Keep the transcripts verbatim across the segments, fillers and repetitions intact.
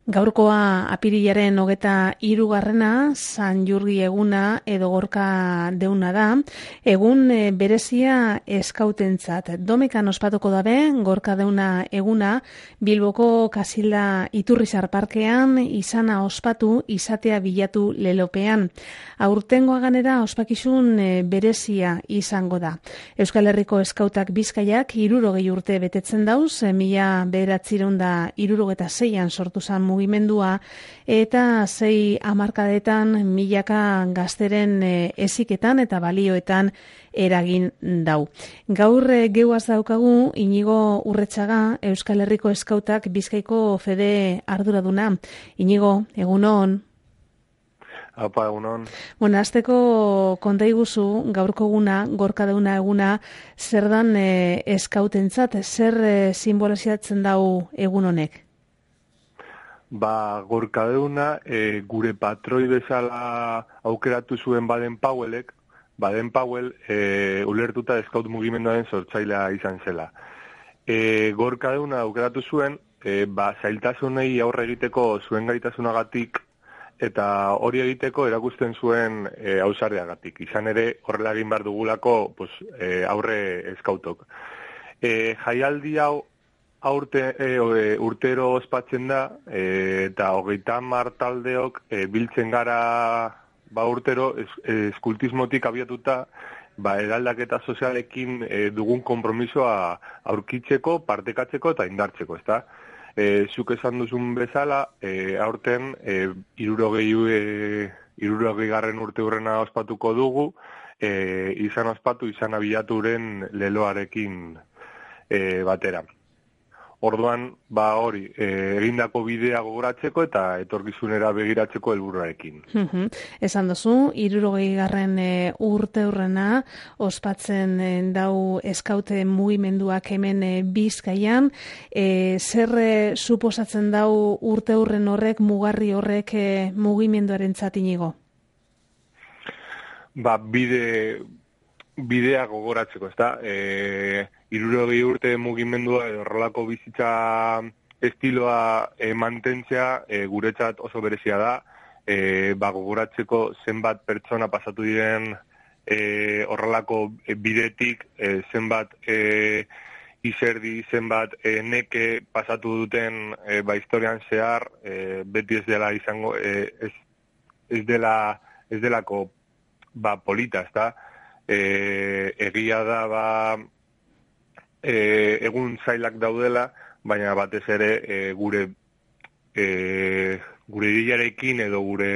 Gaurkoa apirilaren hogeta hirugarrena, San Jurgi eguna edo gorka deuna da, egun e, berezia eskautentzat. Domekan ospatuko dabe, gorka deuna eguna, Bilboko Kasilda Iturrizar Parkean izana ospatu izatea bilatu lelopean. Aurtengoa ganera ospakizun e, berezia izango da. Euskal Herriko eskautak Bizkaiak hirurogei urte betetzen dauz, e, mila bederatziehun eta hirurogeta seian sortu zen mugimendua eta sei hamarkadetan milaka gazteren e, eziketan eta balioetan eragin dau. Gaur e, geuaz daukagu Inigo Urretxaga, Euskal Herriko eskautak Bizkaiko fede arduraduna. Inigo, egunon. Apa, egunon. Bueno, azteko konta iguzu, gaurko eguna, gorka deuna eguna, zer dan e, eskautentzat, zer e, simbolizatzen dau egun honek? Ba, gorka deuna, e, gure patroi bezala aukeratu zuen Baden Powellek, Baden Powell e, ulertuta eskaut mugimenduaren sortzailea izan zela. E, gorka deuna aukeratu zuen, e, ba, zailtasunei aurre egiteko zuen gaitasunagatik, eta hori egiteko erakusten zuen e, ausardiagatik. Izan ere, horrela egin behar dugulako pues, e, aurre eskautok. E, jaialdi hau aurte, e, urtero ospatzen da, e, eta hogeita hamar taldeok e, biltzen gara ba, urtero es, eskultismotik abiatuta, ba, eraldaketa sozialekin e, dugun konpromisoa aurkitzeko, partekatzeko eta indartzeko, ezta? E, zuk esan duzun bezala, e, aurten e, irurogei, e, irurogei garren urte hurrena ospatuko dugu, e, izan ospatu, izan abilaturen leloarekin e, batera. Orduan, ba hori, e, egindako bidea gogoratzeko eta etorkizunera begiratzeko helburuarekin. Uhum. Esan duzu, hirurogei garren e, urte hurrena ospatzen e, dau eskaute mugimenduak hemen e, Bizkaian, e, zer e, suposatzen dau urte hurren horrek, mugarri horrek e, mugimenduarentzat Inigo? Ba, bide... bidea gogoratzeko, ezta? E, hirurogei urte mugimendua edo horrelako bizitza estiloa e, mantentzea e, guretzat oso berezia da. E, ba, gogoratzeko zenbat pertsona pasatu diren e, horrelako bidetik, e, zenbat e, izerdi, zenbat e, neke pasatu duten e, ba, historian zehar, e, beti ez dela izango, e, ez, ez dela ez delako ba, polita, ezta? E, egia da ba, e, egun zailak daudela, baina batez ere e, gure e, gure idearekin edo gure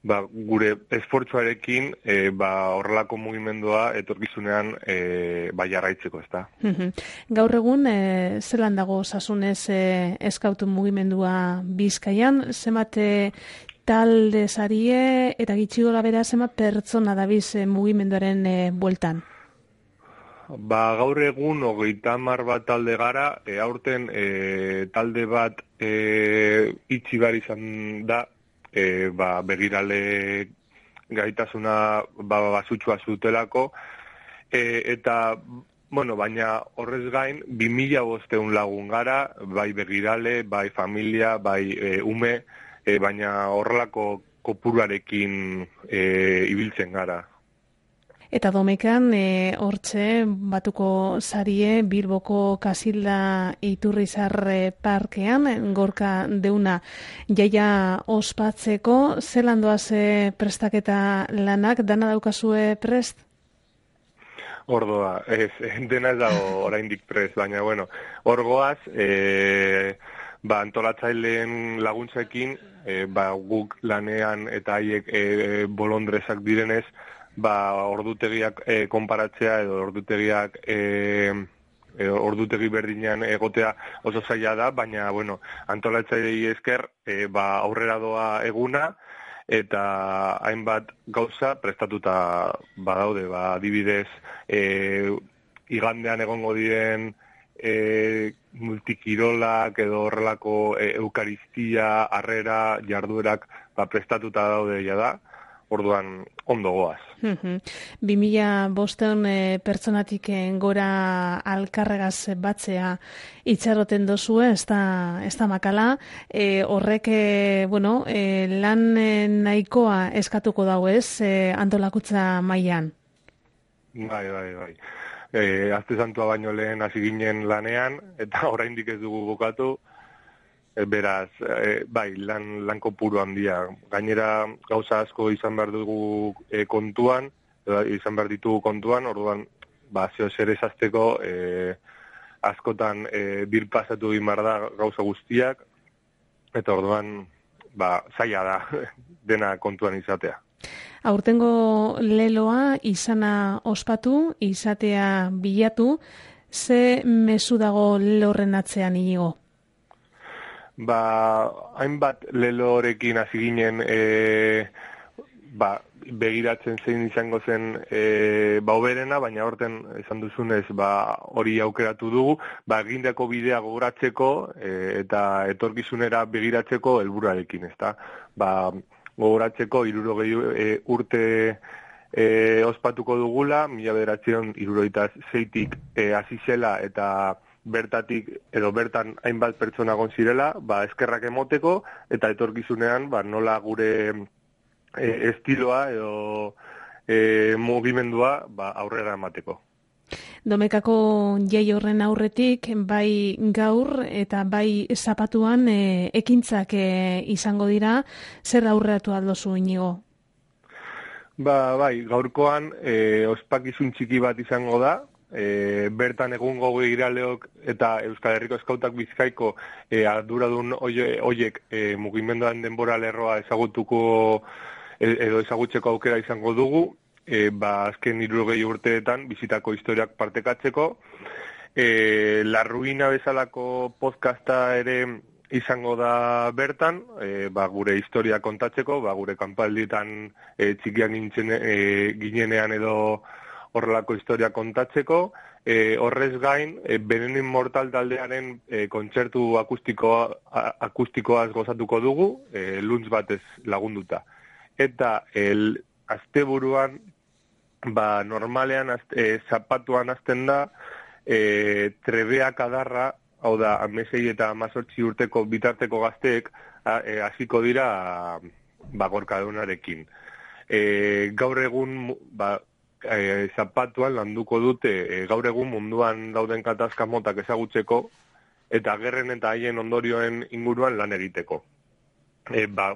ba, gure esfortzuarekin e, ba, horrelako mugimendua etorkizunean e, ba, jarraitzeko, ezta. Gaur egun e, zelan dago osasunez e, eskautu mugimendua Bizkaian, zenbat talde sarie eta gitxi gora bera zenbat pertsona dabiz e, mugimenduaren e, bueltan? Ba, gaur egun hogeita hamar bat talde gara, e, aurten e, talde bat e, itxi behar izan da, e, ba, begirale gaitasuna ba, basutxua zutelako, e, eta bueno, baina horrez gain, bi mila bostehun lagun gara, bai begirale, bai familia, bai e, ume, E, baina horrelako kopuruarekin e, ibiltzen gara. Eta Domekan, e, hortxe, batuko sarie, Bilboko Kasilda Iturrizar Parkean, gorka deuna jaia ospatzeko, zelan doaz e, prestaketa lanak, dana daukazue prest? Ordoa, ez, dena ez dago oraindik prest, baina, bueno, orgoaz, e, ba, antolatzaileen laguntzekin, e, ba, guk lanean eta haiek e, bolondrezak direnez, ba, ordutegiak e, konparatzea edo ordutegiak e, e, ordutegi berdinean egotea oso zaila da, baina, bueno, antolatzailei esker e, ba, aurrera doa eguna eta hainbat gauza prestatuta badaude, ba, adibidez, e, igandean egongo diren E, multikirolak edo horrelako e, eukaristia, harrera, jarduerak ba, prestatuta daude ja da. orduan ondo goaz. Bi mila bosteun e, pertsonatik gora alkarregaz batzea itxaroten dozue, ez da, ez da makala, e, horrek e, bueno, e, lan e, nahikoa eskatuko dau ez, e, antolakutza mailan. Bai, bai, bai. E, Azte Santua baino lehen hasi ginen lanean, eta oraindik ez dugu bukatu, e, beraz, e, bai, lan, lan kopuru handia. Gainera gauza asko izan behar dugu e, kontuan, e, izan behar ditugu kontuan, orduan, ba, zeo zer esazteko, e, askotan e, birpasatu egin behar da gauza guztiak, eta orduan, ba, zaila da, dena kontuan izatea. Aurtengo leloa izana ospatu, izatea bilatu, ze mezu dago lelo horren atzean Inigo? Ba, hainbat lelo horrekin hasi ginen e, ba, begiratzen zein izango zen e, ba, oberena, baina horten esan duzunez ba, hori aukeratu dugu, ba, egindako bidea gogoratzeko e, eta etorkizunera begiratzeko helburuarekin, ezta? Ba, gogoratzeko hirurogei e, urte e, ospatuko dugula, mila bederatziehun hirurogeita seitik e, hasi zela eta bertatik edo bertan hainbat pertsona egon zirela, ba, eskerrak emoteko eta etorkizunean ba, nola gure e, estiloa edo e, mugimendua ba, aurrera emateko. Domekako jai horren aurretik, bai gaur eta bai zapatuan e, ekintzak e, izango dira, zer aurreatu aldozu Inigo? Ba, bai, gaurkoan e, ospakizun txiki bat izango da, e, bertan egungo begiraleok eta Euskal Herriko Eskautak Bizkaiko e, arduradun hoiek e, mugimenduan denbora lerroa ezagutuko edo ezagutzeko aukera izango dugu, E, ba, azken hirurogei urteetan bizitako historiak partekatzeko. E, La Ruina bezalako podcasta ere izango da bertan, e, ba, gure historia kontatzeko, ba, gure kanpaldietan e, txikian gintzen, e, ginenean edo horrelako historia kontatzeko. E, horrez gain, e, Veneno Mortal taldearen e, kontzertu akustikoa, akustikoaz gozatuko dugu, e, luntz batez lagunduta. Eta el asteburuan, ba, normalean azte, e, zapatuan azten da e, trebeak adarra, hau da, amesei eta amazortzi urteko bitarteko gazteek hasiko e, dira ba, gorkadunarekin. E, gaur egun ba, e, zapatuan landuko dute e, gaur egun munduan dauden katazka motak ezagutzeko eta gerren eta haien ondorioen inguruan lan egiteko. E, ba,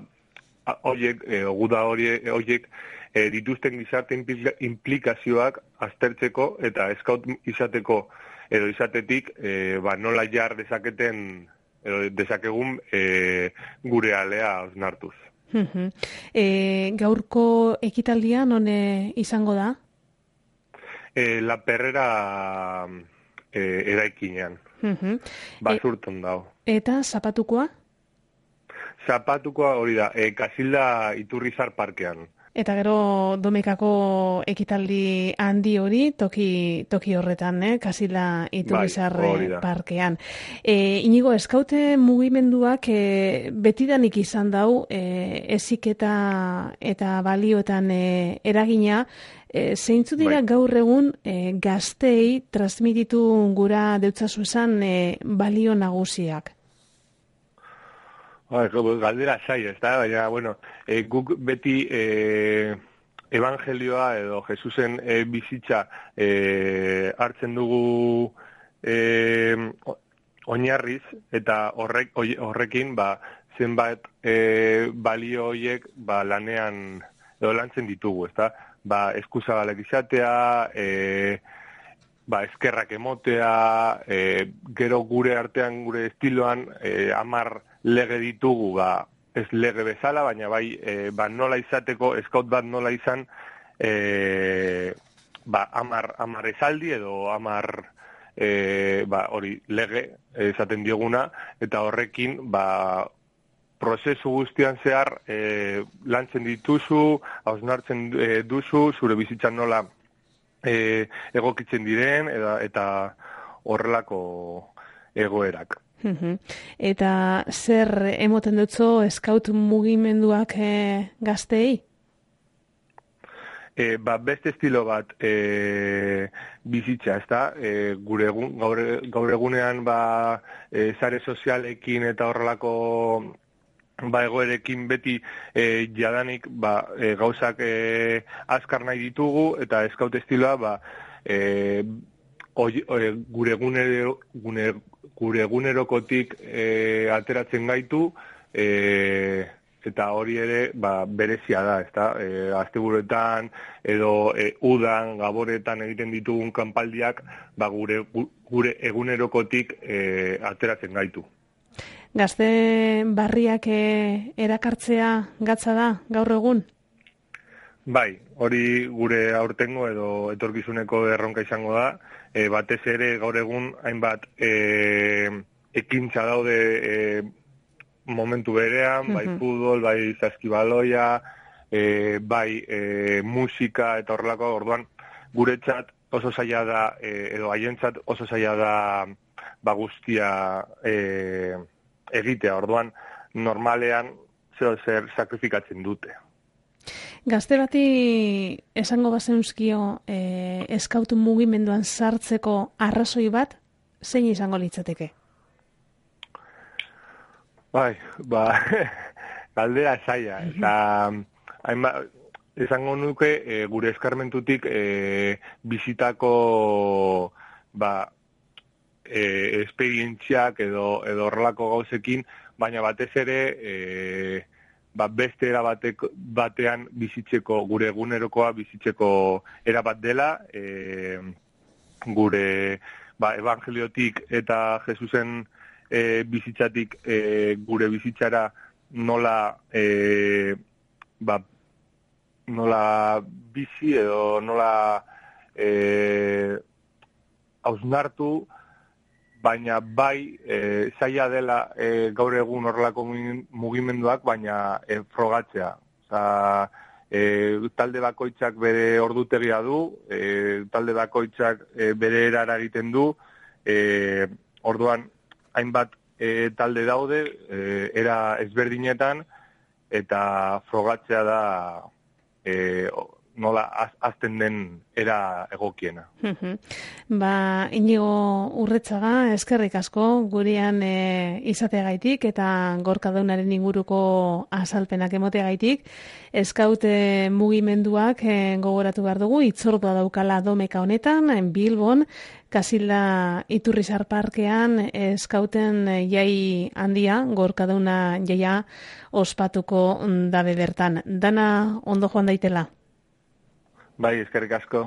Oiek, e, guda horiek e, dituzten gizarte implikazioak aztertzeko eta eskaut izateko edo izatetik e, ba, nola jar dezaketen edo dezakegun e, gure alea osnartuz. e, gaurko ekitaldia non izango da? E, La Perrera e, eraikinean. Basurton dago. Eta zapatukoa? Zapatukoa hori da, e, Kasilda Iturrizar parkean. Eta gero Domekako ekitaldi handi hori toki toki horretan, eh? Kasilda Iturrizar bai, parkean. E, Inigo, eskaute mugimenduak e, betidanik izan dau, e, eziketa eta balioetan e, eragina, e, zeintzu dira bai. Gaur egun e, gaztei transmititu gura deutzazu esan e, balio nagusiak? Galdera zai, ez da, baina, bueno, e, guk beti e, evangelioa edo Jesusen e, bizitza e, hartzen dugu e, oinarriz, eta horrek, horrekin ba, zenbat e, balio horiek ba, lanean edo lantzen ditugu, ez da? Ba, eskuzabalek izatea, e, ba, eskerrak emotea, e, gero gure artean, gure estiloan, e, amar lege ditugu, ba, ez lege bezala, baina bai, e, ba, nola izateko, eskaut bat nola izan, e, ba, amar, amar esaldi edo amar, e, ba, hori, lege esaten dioguna, eta horrekin, ba, prozesu guztian zehar, e, lantzen dituzu, hausnartzen e, duzu, zure bizitzan nola e, egokitzen diren, eta, eta horrelako egoerak. Eta zer emoten dutzo eskaut mugimenduak e, gaztei? E, ba, beste estilo bat e, bizitza, ezta? E, gure egun, gaur, gaur egunean ba, e, sare sozialekin eta horrelako ba, egoerekin beti e, jadanik ba, e, gauzak e, azkar nahi ditugu eta eskaut estiloa ba, e, oi, oi, gure, egunero, gune, gure egunerokotik e, ateratzen gaitu e, eta hori ere ba, berezia da, ezta? E, asteburuetan edo e, udan, gaboretan egiten ditugun kanpaldiak ba, gure, gure egunerokotik e, ateratzen gaitu. Gazte barriak e, erakartzea gatza da gaur egun? Bai, hori gure aurtengo edo etorkizuneko erronka izango da, e, batez ere gaur egun hainbat e, ekintza daude e, momentu berean, bai futbol, bai zaskibaloia, e, bai e, musika eta horrelako, orduan guretzat oso zaila da, e, edo haientzat oso zaila da ba guztia e, egitea, orduan normalean zer zer sakrifikatzen dute. Gazte bati esango bazenuzkio e, eskautu mugimenduan sartzeko arrazoi bat, zein izango litzateke? Bai, ba, galdera zaila, eta hainba, esango nuke e, gure eskarmentutik e, bizitako ba, e, esperientziak edo edo horrelako gauzekin, baina batez ere e, ba, beste era batek, batean bizitzeko, gure egunerokoa bizitzeko era bat dela, e, gure ba, evangeliotik eta Jesusen E, bizitzatik e, gure bizitzara nola e, ba, nola bizi edo nola e, hausnartu, baina bai e, zaila dela e, gaur egun horrelako mugimenduak, baina e, frogatzea. Oza, e, talde bakoitzak bere ordutegia du, e, talde bakoitzak e, bere erara egiten du, e, orduan hainbat e, talde daude, e, era ezberdinetan, eta frogatzea da e, nola az, azten den era egokiena. Ba, Inigo Urretxaga, eskerrik asko, gurean e, izateagaitik eta Gorka Deunaren inguruko azalpenak emoteagaitik. Eskaute mugimenduak e, gogoratu behar dugu, itzordua daukala domeka honetan, Bilbon, Kasilda Iturrizar Parkean eskauten jai handia, Gorka Deuna jaia ospatuko dabe bertan. Dana ondo joan daitela? Bai, eskerrik asko.